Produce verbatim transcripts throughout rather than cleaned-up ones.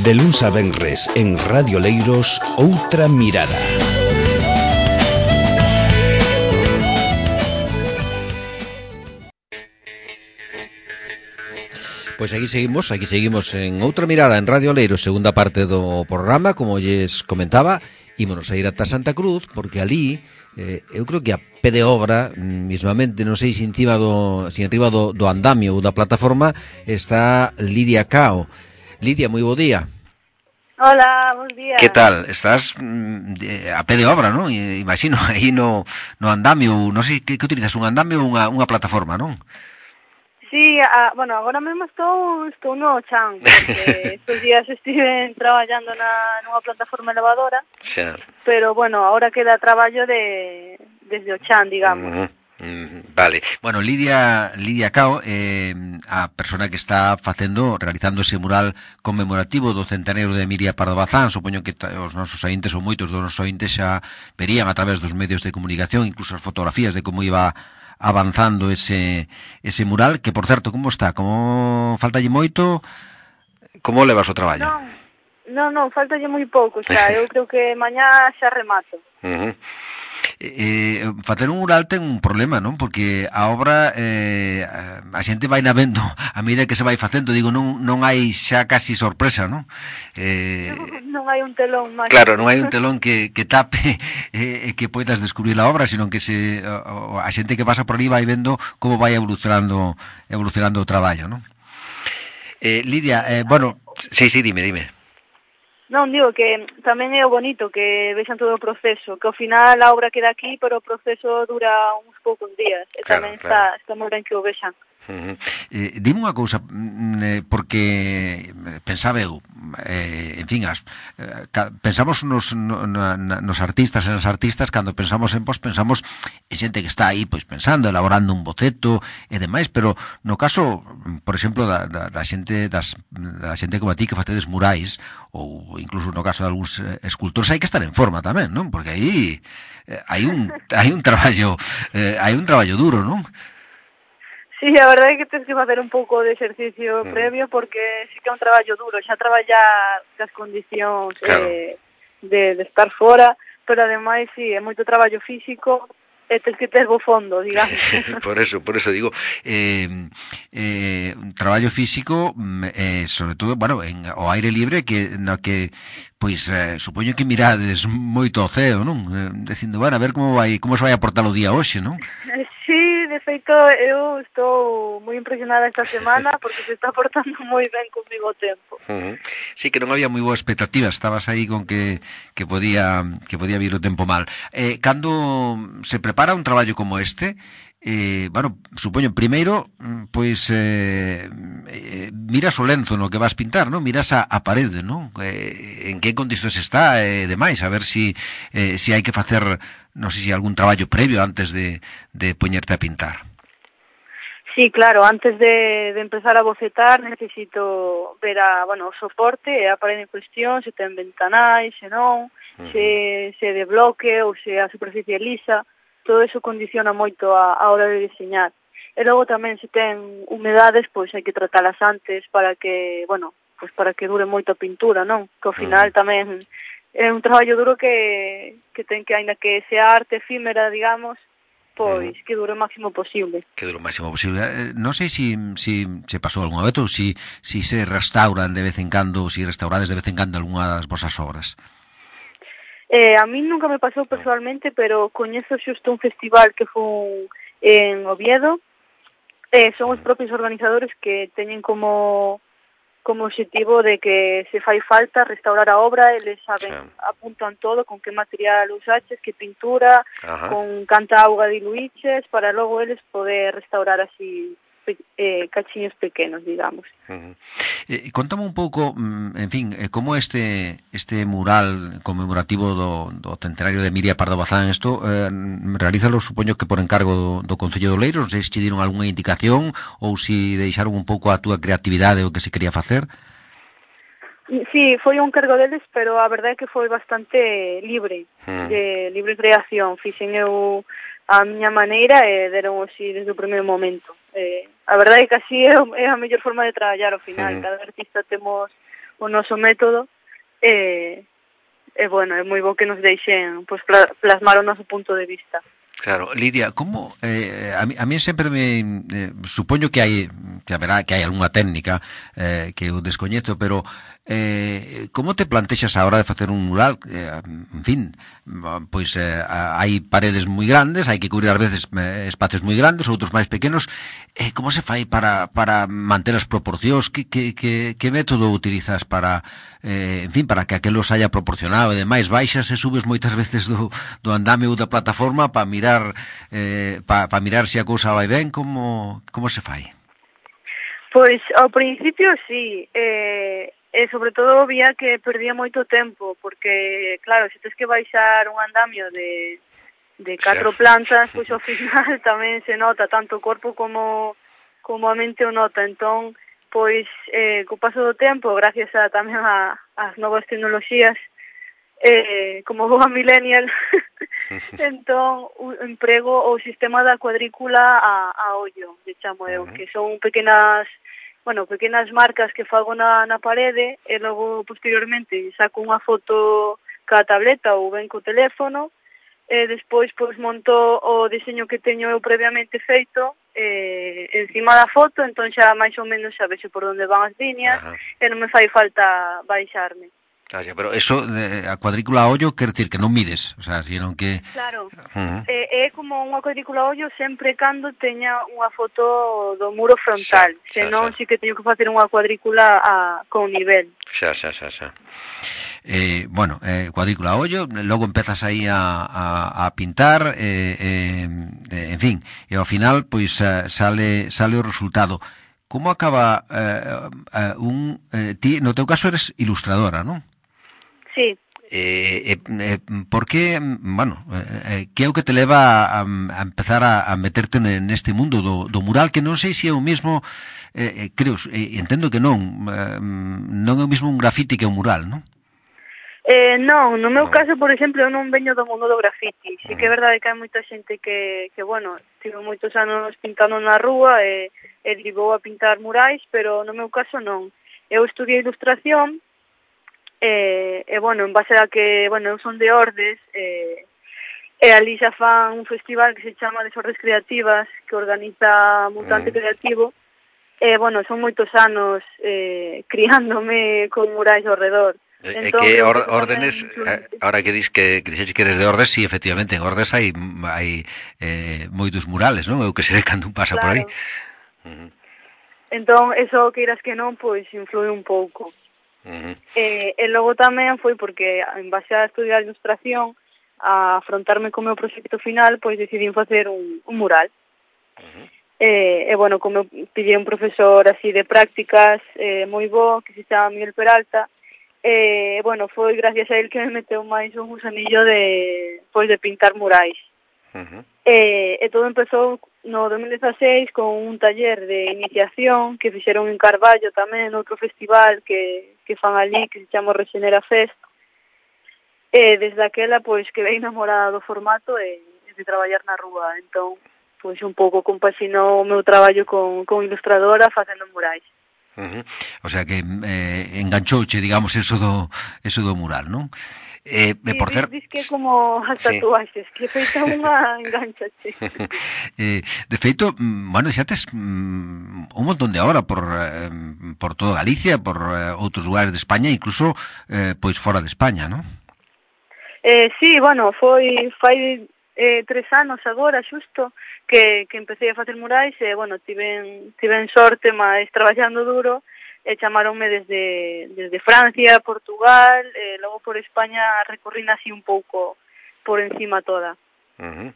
De luns a venres en Radio Leiros, Outra Mirada. Pois aquí seguimos, aquí seguimos en Outra Mirada en Radio Leiros, segunda parte do programa, como lles comentaba. Ímonos a ir ata Santa Cruz, porque ali, eh, eu creo que a pé de obra, mismamente, non sei se encima do, se enriba do, do andamio ou da plataforma, está Lidia Cao. Lidia, moi bo día. Hola, bons días. Que tal? Estás mm, a pé de obra, non? Imagino, aí no, no andamio, non sei, que, que utilizas, un andamio ou unha, unha plataforma, non? Sí, a, bueno, agora mesmo estou estou no chan, porque estes días estive traballando na nunha plataforma elevadora. Xa. Pero bueno, agora queda traballo de desde o chan, digamos. Uh-huh. Mm, vale. Bueno, Lidia Lidia Cao, eh, a persona que está facendo, realizando ese mural conmemorativo do centenario de Emilia Pardo Bazán. Supoño que os nosos ointes ou moitos dos nosos ointes xa verían a través dos medios de comunicación, incluso as fotografías de como iba avanzando ese ese mural, que por certo, como está? Como faltalle moito? Como levas o traballo? Non, non, non, faltalle moi pouco xa, eu creo que mañá xa remato. Uh-huh. Eh, facer un mural ten un problema, non? Porque a obra eh, a xente vai na vendo a medida que se vai facendo, digo, non non hai xa casi sorpresa, non? Eh, non, non hai un telón máis. Claro, non hai un telón que, que tape e eh, que poidas descubrir a obra, sino que se a, a xente que pasa por ali vai vendo como vai evolucionando evolucionando o traballo, non? Eh, Lidia, eh, bueno, sí, sí, dime, dime. Non, digo que tamén é o bonito que vexan todo o proceso, que ao final a obra queda aquí, pero o proceso dura uns poucos días, e claro, tamén claro. está, está moi ben que o vexan. Uh-huh. Eh, dime unha cousa, eh, porque pensaba eu, eh, en fin, as, eh, pensamos nos, no, na, nos artistas e nas artistas, cando pensamos en pos, pensamos en xente que está aí, pois pensando, elaborando un boceto e demais, pero no caso, por exemplo, da, da, da xente das, da xente como a ti que facedes murais, ou incluso no caso de algúns escultores, hai que estar en forma tamén, non? Porque aí eh, hai un hai un traballo eh, hai un traballo duro, non? Sí, a verdade é que tens que facer un pouco de exercicio mm. previo, porque sí que é un traballo duro, xa traballar cas condicións claro. eh, de, de estar fora, pero ademais, sí, é moito traballo físico, e tens que ter bo fondo, digamos. Por eso, por eso digo, eh, eh, un traballo físico, eh, sobre todo, bueno, en o aire libre, que no que, pois, eh, supoño que mirades moito ao ceo, non? Eh, dicindo, bueno, a ver como vai, como se vai a portar o día hoxe, non? Sí, de feito, eu estou moi impresionada esta semana porque se está portando moi ben comigo o tempo. Uh-huh. Sí, que non había moi boa expectativa, estabas aí con que que podía que podía vir o tempo mal. Eh, cando se prepara un traballo como este, eh, bueno, supoño, primeiro, pois, eh, eh, miras o lenzo no que vas pintar, non? Miras a, a parede, non? Eh, en que condicións está e eh, demais, a ver si, eh, si hai que facer, non sei se algún traballo previo antes de, de poñerte a pintar. Sí, claro, antes de, de empezar a bocetar necesito ver a, bueno, o soporte e a parede en cuestión, se ten ventanais, se non, uh-huh. se, se de bloque ou se a superficie lisa, todo eso condiciona moito a, a hora de diseñar. E logo tamén se ten humedades, pois hai que tratalas antes para que, bueno, pois para que dure moito a pintura, non? Que ao final uh-huh. tamén é un traballo duro que, que ten que, aínda que sea arte efímera, digamos, pois que dure o máximo posible. Que dure o máximo posible. Eh, non sei se si, si se pasou algunha vez ou se si, si se restauran de vez en cando, ou se si restaurades de vez en cando algunha das vosas obras. Eh, a mí nunca me pasou personalmente, pero coñezo xusto un festival que foi en Oviedo. Eh, son os propios organizadores que teñen como como objetivo de que se fai falta restaurar a obra, eles saben, sí. apuntan todo, con que material usaches, que pintura, ajá. con canta auga diluiches, para logo eles poder restaurar así eh, cachiños pequenos, digamos. Uh-huh. Eh, contame un pouco, en fin, eh, como este este mural conmemorativo do, do centenario de Emilia Pardo Bazán, isto eh, realízalo, supoño que por encargo do, do Concello do Leiros, non sei se te dieron algunha indicación ou se deixaron un pouco a túa creatividade o que se quería facer. Sí, foi un cargo deles, pero a verdade é que foi bastante libre, uh-huh. de libre creación. Fixen eu a miña maneira e deron así desde o primeiro momento. Eh, a verdade é que así é, é a mellor forma de traballar ao final. Uh-huh. Cada artista temos o noso método, e, e bueno, é moi bo que nos deixen pues, plasmar o noso punto de vista. Claro, Lidia, como eh, a, mí, a mí sempre me eh, supoño que hai que haberá que hai algunha técnica eh, que eu descoñezo, pero eh, como te plantexas a hora de facer un mural? Eh, en fin, pois eh, hai paredes moi grandes, hai que cubrir ás veces eh, espacios moi grandes, outros máis pequenos. Eh, como se fai para para manter as proporcións? Que que que que método utilizas para eh, en fin, para que aquelo saia proporcionado e demais? Baixas e subes moitas veces do do andame ou da plataforma para mirar Eh, para pa mirar se a cousa vai ben, como, como se fai? Pois, ao principio, sí, eh, e sobre todo vía que perdía moito tempo, porque, claro, se tens que baixar un andamio de, de catro plantas, pois ao final tamén se nota tanto o corpo como, como a mente o nota, entón, pois, eh, co paso do tempo, gracias a, tamén a, as novas tecnoloxías, eh, como boa millennial, entón emprego o sistema da cuadrícula a, a ollo, de chamo eu, que son pequenas, bueno, pequenas marcas que fago na, na parede e logo posteriormente saco unha foto ca tableta ou ben co teléfono e despois pois monto o diseño que teño eu previamente feito eh, encima da foto, entón xa máis ou menos xa vexo por onde van as líneas. Ajá. E non me fai falta baixarme. Claro, pero eso, a cuadrícula a ollo, quer decir que non mides, o sea, sino que... Claro, uh-huh. é, é como unha cuadrícula a ollo sempre cando teña unha foto do muro frontal, xa, senón xa, xa. Si que teño que facer unha cuadrícula a, con nivel. Xa, xa, xa, xa. Eh, bueno, eh, cuadrícula a ollo, logo empezas aí a, a, a pintar, eh, eh, en fin, e ao final, pois, sale, sale o resultado. Como acaba eh, eh, un... Eh, ti, no teu caso eres ilustradora, non? Sí. Eh, eh, por que, bueno, eh, que é o que te leva a, a empezar a, a meterte neste mundo do, do mural, que non sei se é o mismo, eh, creo, eh, entendo que non, eh, non é o mismo un grafiti que un mural, non? Eh, non, no meu no. caso, por exemplo, eu non veño do mundo do grafiti. Sí que é verdade que hai moita xente que, que bueno, tive moitos anos pintando na rúa e, e derivou a pintar murais, pero no meu caso non. Eu estudiei ilustración, E, e, bueno, en base a que, bueno, eu son de Ordes, e, e ali xa fan un festival que se chama Desordes Creativas, que organiza Mutante mm. Creativo, e, bueno, son moitos anos eh, criándome con murais ao redor. É entón, que or, órdenes, ahora que dis que, que dixeches que eres de Ordes, sí, efectivamente, en Ordes hai, hai eh, moitos murales, non? É o que se ve cando un pasa claro. por aí. Uh-huh. Entón, eso, que irás que non, pois, influi un pouco. Uh-huh. E, e logo tamén foi porque en base a estudiar ilustración a afrontarme co meu proxecto final, pois decidín facer un, un mural. Uh-huh. e, e bueno, como pillei un profesor así de prácticas eh, moi bo, que se chama Miguel Peralta, e bueno, foi gracias a él que me meteu máis un gusanillo de, pois, de pintar murais. Uh-huh. e, e todo empezou no dos mil dezaseis con un taller de iniciación que fixeron en Carballo tamén, outro festival que, que fan ali, que se chama Regenera Fest. E desde aquela, pois, quedei enamorada do formato e de traballar na rúa. Entón, pois, un pouco compaxinou o meu traballo con, con ilustradora facendo murais. Uh-huh. O sea que eh, enganchouche, digamos, eso do, eso do mural, non? Eh, sí, por cer... dis que como as tatuaxes, sí. Que feita unha enganchache. eh, de feito, bueno, xa tes mm, un montón de obra por, eh, por toda Galicia, por eh, outros lugares de España, incluso eh, pois fora de España, non? Eh, sí, bueno, foi fai eh, tres anos agora, xusto, que, que empecé a facer murais e, bueno, tiven, tiven sorte, máis traballando duro, e chamaronme desde, desde Francia, Portugal, e logo por España recorrín así un pouco por encima toda. Uh-huh.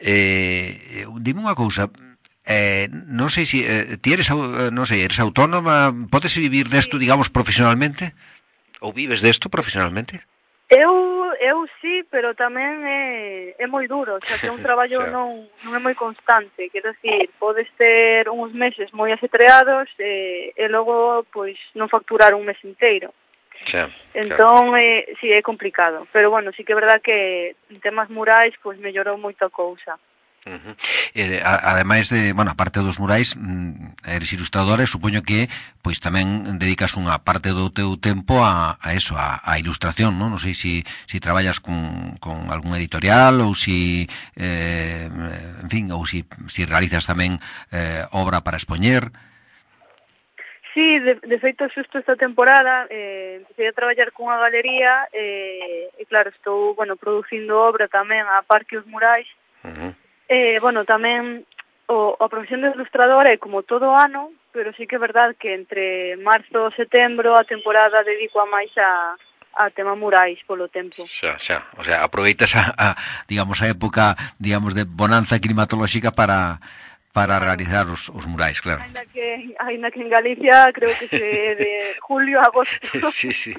Eh, dime unha cousa, eh, non sei se eh, ti eres, non sei, eres autónoma, podes vivir desto, sí. digamos, profesionalmente? Ou vives desto profesionalmente? Eu, eu sí, pero tamén é, é moi duro, xa que un traballo non, non é moi constante, quero dicir, podes ter uns meses moi asetreados e, e logo, pois, non facturar un mes inteiro. Xa, entón, eh, sí, é complicado, pero bueno, sí que é verdad que en temas murais, pois, mellorou moito a cousa. Uh-huh. Eh, a, ademais de, bueno, aparte dos murais, mm, eres ilustradora e supoño que pois tamén dedicas unha parte do teu tempo a, a eso, a, a ilustración, non? Non sei si, si traballas con, con algún editorial ou si eh, en fin, ou si, si realizas tamén eh, obra para expoñer. Sí, de, de feito, xusto esta temporada eh, empecé a traballar cunha galería eh, e claro, estou, bueno, producindo obra tamén a par que os murais. Uh-huh. Eh, bueno, tamén o, a profesión de ilustradora é como todo ano, pero sí que é verdade que entre marzo e setembro a temporada dedico a máis a, a tema murais polo tempo. Xa, xa, o sea, aproveitas a, a digamos, a época, digamos, de bonanza climatolóxica para para realizar os, os murais, claro. Ainda que, ainda que en Galicia creo que se de julio a agosto. Sí, sí,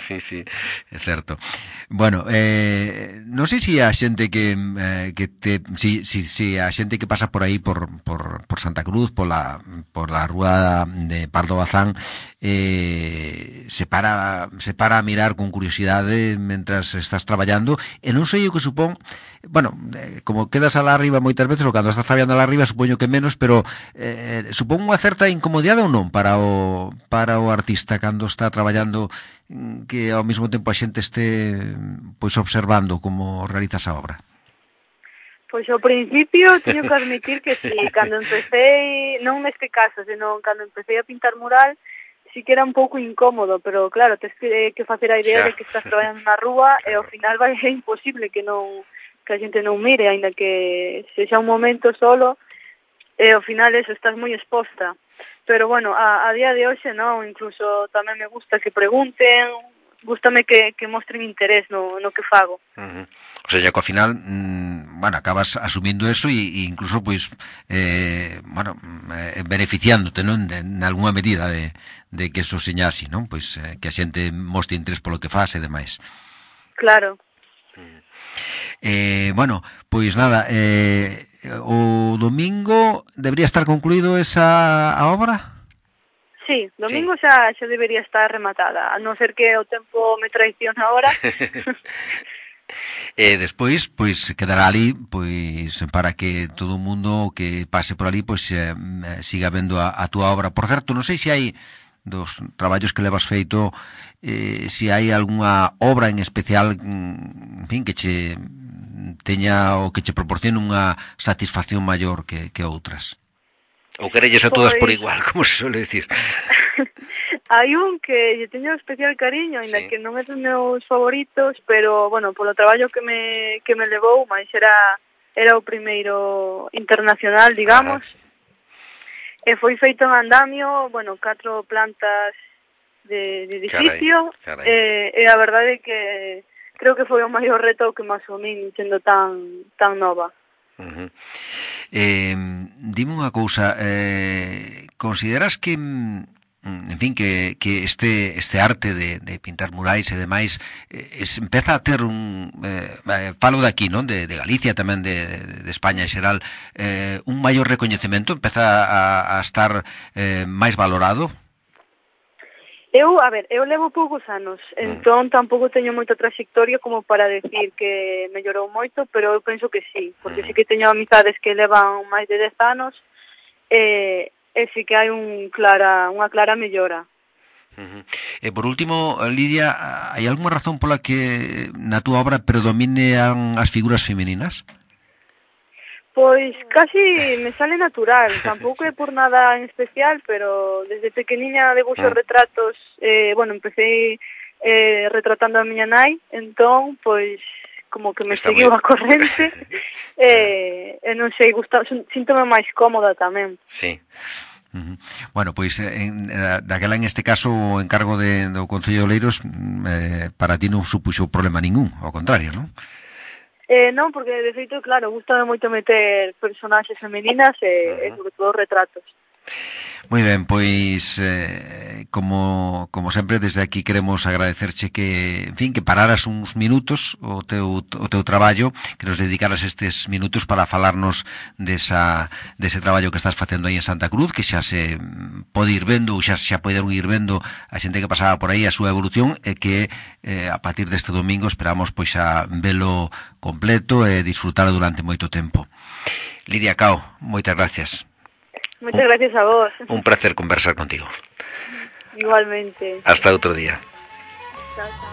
sí, sí, é certo. Bueno, eh, non sei se a xente que eh, que te si, si, si a xente que pasa por aí por, por, por Santa Cruz, por la, por la rúa de Pardo Bazán, eh, se para se para a mirar con curiosidade mentras estás traballando, e non sei o que supón, bueno, eh, como quedas alá arriba moitas veces, ou cando estás traballando alá arriba supoño que menos, pero eh, supón unha certa incomodidade ou non para o para o artista cando está traballando, que ao mesmo tempo a xente este pois observando como realizas a obra? Pois ao principio teño que admitir que si, cando empecé, non neste caso, senón cando empecé a pintar mural, sí que era un pouco incómodo, pero claro, tens que, que facer a idea xa. De que estás traballando na rúa e ao final vai ser imposible que non que a xente non mire, aínda que sexa un momento solo, e ao final eso, estás moi exposta. Pero bueno, a, a día de hoxe non, incluso tamén me gusta que pregunten, gústame que, que mostren interés no, no que fago. Uh-huh. O sea, ya que ao final, mmm, bueno, acabas asumindo eso e, e incluso, pois, eh, bueno, eh, beneficiándote, non? De, en alguna medida de, de que eso seña así, non? Pois eh, que a xente mostre interés polo que faz e demais. Claro. Uh-huh. Eh, bueno, pois nada, eh, o domingo debería estar concluído esa a obra? Sí, domingo sí. xa, xa debería estar rematada, a non ser que o tempo me traiciona ahora. E despois, pois, quedará ali, pois, para que todo o mundo que pase por ali, pois, eh, siga vendo a, a túa obra. Por certo, non sei se hai dos traballos que levas feito, eh, se hai algunha obra en especial, en fin, que che teña o que che proporcione unha satisfacción maior que, que outras. Ou querelles a todas por igual, como se suele decir. Hai un que lle teño especial cariño, ainda sí. Que non é dos meus favoritos, pero, bueno, polo traballo que me que me levou, máis era era o primeiro internacional, digamos. Ajá. E foi feito en andamio, bueno, catro plantas de, de edificio, carai, carai. E, e a verdade é que creo que foi o maior reto que me asumín sendo tan tan nova. Uh-huh. Eh, dime unha cousa, eh, consideras que, en fin, que, que este este arte de, de pintar murais e demais eh, es, empeza a ter un eh, falo de aquí, non? De, de Galicia, tamén de, de España en xeral, eh, un maior recoñecemento, empeza a, a estar eh, máis valorado? Eu, a ver, eu levo poucos anos, entón tampouco teño moita trayectoria como para decir que mellorou moito, pero eu penso que sí, porque sí que teño amizades que levan máis de dez anos e, e sí que hai un clara, unha clara mellora. Uh-huh. E por último, Lidia, hai algunha razón pola que na túa obra predominean as figuras femininas? Pois casi me sale natural, tampouco é por nada en especial, pero desde pequeniña debuxo ah. retratos, eh, bueno, empecé eh, retratando a miña nai, entón, pois, como que me Está seguiu muy... a corrente, e eh, non sei, gusta, síntome máis cómoda tamén. Sí. Uh-huh. Bueno, pois en, daquela en este caso o encargo de, do Concello de Oleiros eh, para ti non supuxo problema ningún, ao contrario, non? Eh, non, porque de feito, claro, gustame moito meter personaxes femininas e, uh-huh. e sobre todo retratos. Moi ben, pois eh, como como sempre desde aquí queremos agradecerche que, en fin, que pararas uns minutos o teu o teu traballo, que nos dedicaras estes minutos para falarnos desa dese traballo que estás facendo aí en Santa Cruz, que xa se pode ir vendo, ou xa xa poderon ir vendo a xente que pasaba por aí a súa evolución, e que eh, a partir deste domingo esperamos pois a velo completo e disfrutalo durante moito tempo. Lidia Cao, moitas gracias. Muchas un, gracias a vos. Un placer conversar contigo. Igualmente. Hasta outro día. Chao, chao.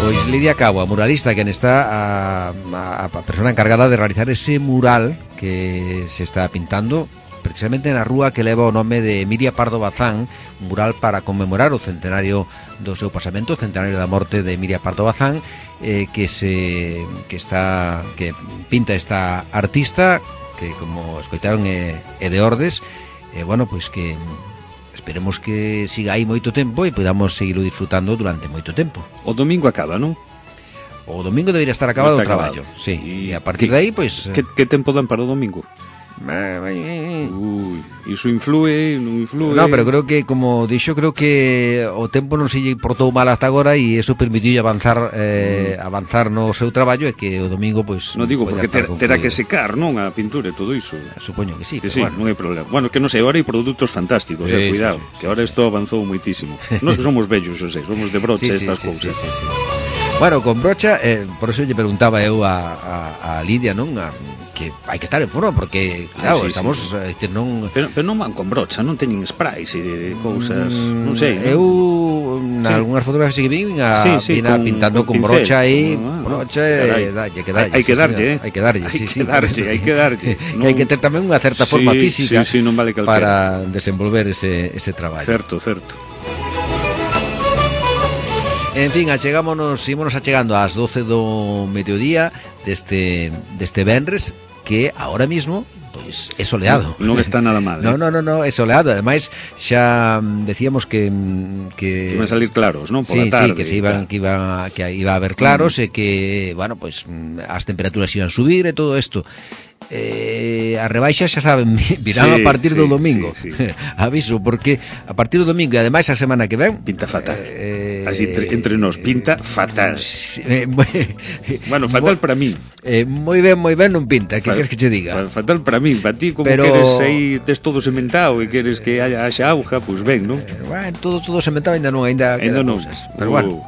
Pois Lidia Cao, a muralista, quen está a, a, a persona encargada de realizar ese mural que se está pintando precisamente na rúa que leva o nome de Emilia Pardo Bazán, un mural para conmemorar o centenario do seu pasamento, o centenario da morte de Emilia Pardo Bazán, eh, que se que está que pinta esta artista que, como escoitaron, é, é de Ordes, e bueno, pois que esperemos que siga aí moito tempo e podamos seguirlo disfrutando durante moito tempo. O domingo acaba, non? O domingo debería estar acabado o traballo, sí, e a partir de aí, pois... Que, que tempo dan para o domingo? Ui, iso influe, non influe. No, pero creo que, como dixo, creo que o tempo non se lle portou mal hasta agora e eso permitiu avanzar eh, mm. avanzar no seu traballo, e que o domingo, pois... Non digo, porque ter, terá que secar, non, a pintura e todo iso. Supoño que sí, que pero sí, bueno. Non hai problema. Bueno, que non sei, agora hai produtos fantásticos, sí, eh, cuidado, sí, sí, que agora isto avanzou moitísimo. Nós que somos vellos, eu sei, somos de brocha sí, estas sí, cousas. Sí, sí, sí. Bueno, con brocha, eh, por eso lle preguntaba eu a, a, a Lidia, non? A, que hai que estar en forma, porque, claro, ah, sí, estamos... Sí. Este, non... Pero, pero non van con brocha, non teñen sprays e cousas, mm, non sei, non? Eu, nalgúnas sí. fotografías que vin, a, sí, sí, vin a, con, pintando con, con brocha aí, ah, brocha, e dalle, que dalle. Hai que darlle, eh? Hai que darlle, hai sí, que sí. darlle, hai que darlle. Que hai que ter tamén unha certa forma sí, física sí, sí, non vale para desenvolver ese, ese traballo. Certo, certo. En fin, achegámonos, ímonos achegando ás doce do mediodía deste, deste venres, que ahora mismo pois é soleado. Non, non está nada mal. No, eh? no, no, no, é soleado. Ademais, xa decíamos que que iban a salir claros, non? Por sí, la tarde. Sí, que se iban que iba que iba a haber claros mm. e que, bueno, pois as temperaturas iban a subir e todo isto. Eh, a rebaixa xa saben, virán sí, a partir sí, do domingo. Sí, sí. Aviso, porque a partir do domingo e ademais a semana que ven pinta fatal. Eh, Así entre, entre nos pinta fatal. Eh, bueno, fatal para mí. Eh, moi ben, moi ben non pinta, que queres que che diga? Fatal para mí, para ti como pero... queres aí tes todo sementado e queres que haya haxa auga, pois pues ben, non? Eh, bueno, todo todo sementado ainda non, ainda ainda non. Cousas, pero uh. bueno.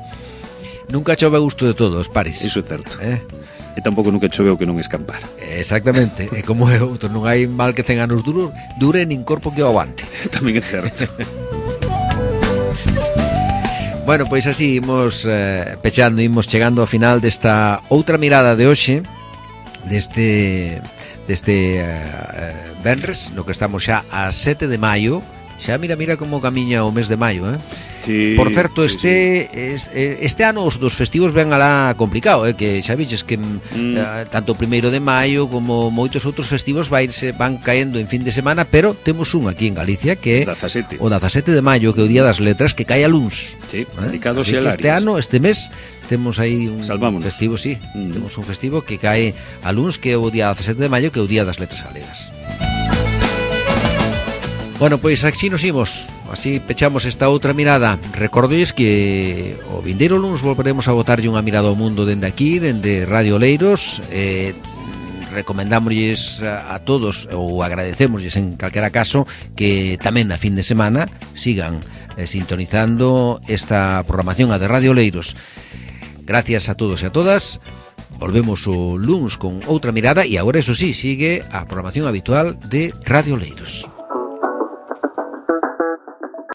Nunca chove a gusto de todos, pares. Iso é certo. Eh? E tampouco nunca choveu que non escampar. Exactamente, e como é outro, non hai mal que cen anos duro, dure nin corpo que o aguante. Tamén é certo. Bueno, pois así imos eh, pechando, imos chegando ao final desta outra mirada de hoxe, deste deste eh, venres, no que estamos xa a sete de maio. Xa mira, mira como camiña o mes de maio, eh? Sí, por certo, sí, este sí. este, este ano os dos festivos ven alá complicado, eh? Que xa viches que mm. eh, tanto o primeiro de maio como moitos outros festivos vairse, van caendo en fin de semana, pero temos un aquí en Galicia que é dezasete. O dezasete de maio, que é o Día das Letras, que cae a luns. Sí, eh? dedicados Así a que este ano, este mes temos aí un Salvámonos. festivo, sí, mm. temos un festivo que cae a luns, que é o día dezasete de maio, que é o Día das Letras Galegas. Bueno, pois así nos imos, así pechamos esta outra mirada. Recordéis que o vindeiro luns volveremos a botarlle unha mirada ao mundo dende aquí, dende Radio Oleiros. eh, Recomendámosles a, a todos, ou agradecémosles en calquera caso, que tamén na fin de semana sigan eh, sintonizando esta programación a de Radio Oleiros. Gracias a todos e a todas. Volvemos o luns con outra mirada, e agora, eso sí, sigue a programación habitual de Radio Oleiros.